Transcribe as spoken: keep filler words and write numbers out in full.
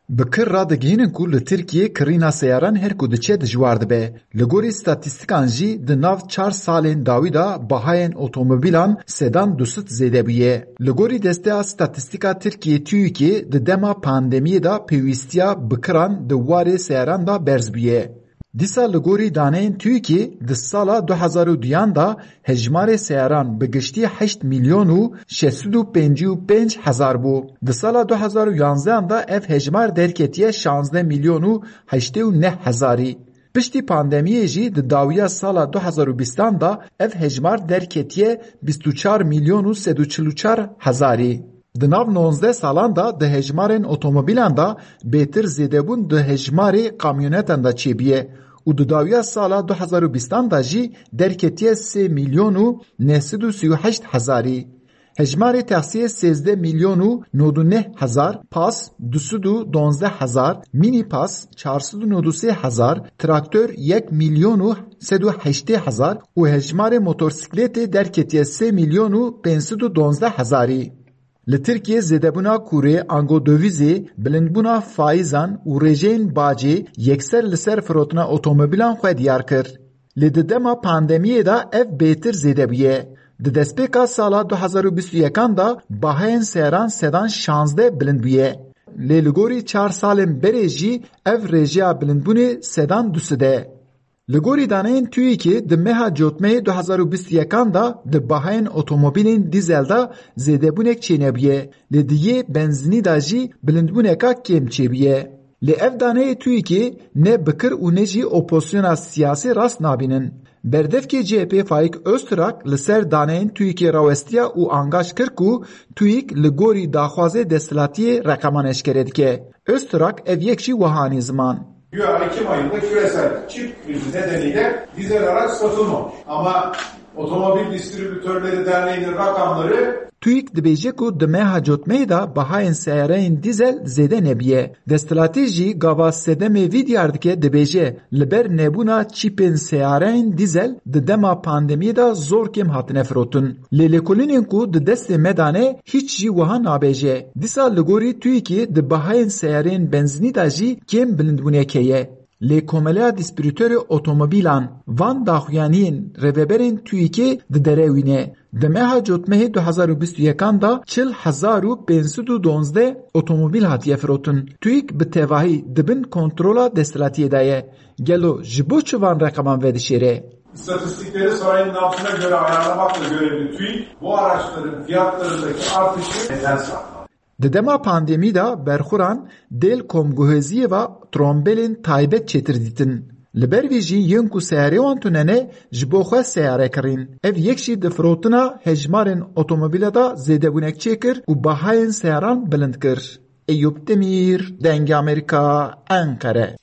Bi kir radigihînin ku li Tirkiyê kirîna seyaran her ku diçe dijwar dibe. Li gorî statîstîkan jî di nav çar salên dawî de bahayên otomobîlan sedan du sed zêde bûye. Li gorî Desteya Statîstîka Tirkiyê TÜİKê di dema pandemiyê de pêwîstiya bi kiran di warê seyaran de berz bûye. Dîsa li gorî daneyên TÜİKê di sala du hezar û duyan de hejmarê seyaran bi giştî heşt milyon û şeş sed û pêncî û pênc hezar bû. Di sala du hezar û yanzdehan de ev hejmar derketiye şazdeh milyon û heştê û neh hezarî. Piştî pandemiyê jî di dawiya sala du hezar û bîstan de ev hejmar derketiye bîst û çar milyon û sed û çil û çar hezarî. Di nav nozdeh salan de di hejmarên otomobîlan de bêtir zêdebûn di hejmarê kamyonetan de çêbûye û di dawiya sala du hezar û bîstan de jî derketiye sê milyon û neh sed û sî û heşt hezarî. Hejmarê taksiyê sêzdeh milyon û nod û neh hezar, pas du sed û donzdeh hezar, mînîpas çar sed û nod û sê hezar, traktor yek milyon û sed û heştê hezar û hejmarê motorsîklêtê derketiye sê milyon û pênc sed û donzdeh hezarî. Li Tirkiyê zêdebûna kurê, ango dovîzê, bilindbûna faîzan û rêjeyên bacê yekser li ser firotina otomobîlan xwe diyar kir. Lê di dema pandemiyê de ev bêtir zêde bûye. Di destpêka sala du hezar û bîst û yekan de bahayên seyaran sedan şazdeh bilind bûye. Lê li gorî çar salên berê jî ev rêjeya bilindbûnê sedan du sed e. Li gorî daneyên TÜİKê di meha Cotmehê du hezar û bîst û yekan de di bahayên otomobîlên dîzel de zêdebûnek çênebûye, lê di yê benzînî de jî bilindbûneka kêm çêbûye. Lê ev daneyê TÜİKê ne bi kir û ne jî opozisyona siyasî rast nabînin. Berdevkê C H P Faik Öztrak li ser daneyên TÜİKê rawestiya û angaş kir ku TÜİK li gorî daxwazê desthilatiyê reqeman eşkere dike. Öztrak ev yek jî wiha anî ziman. Güya Ekim ayında küresel çip krizi nedeniyle dizel araç satılmamış. Ama Otomobil Distribütörleri Derneği'nin rakamları TÜİK dibêje ku di meha Cotmehê de bahayên seyareyên dîzel zêde nebûye. Desthilatî jî gava sedemê vî diyar dike, dibêje, li ber nebûna çîpên seyareyên dîzel di dema pandemiyê de zor kêm hatine firotin. Lê lêkolînên ku di destê me de ne, hîç jî wiha nabêje. Dîsa li gorî TÜİKê di bahayên seyareyên benzînî de jî kêm bilindbûnek heye. Lê Komeleya Distributörê Otomobîlan van daxuyaniyên rêveberên TÜİKê diderewîne. Di meha Cotmehê du hezar û bîst û yekan de çil hezar û pênc sed û donzdeh otomobîl hatiye firotin. TÜİK bi tevahî di bin kontrola desthilatiyê de ye. Gelo ji bo çi van reqeman vedişêre? İstatistikleri sayının altına göre ayarlamakla görevli TÜİK bu araçların fiyatlarındaki artışı neden saklar? Di dema pandemî de berxuran dêl komguhêziyê ve trombelên taybet çêtir dîtin. Li ber vê jî yên ku seyarê wan tune ne, ji bo xwe seyare kirîn. Ev yek jî di firotina hejmarên otomobîle de zêdebûnek çêkir û bahayên seyaran bilind kir. Eyûp Demîr, Dengê Amerîka, Enqere.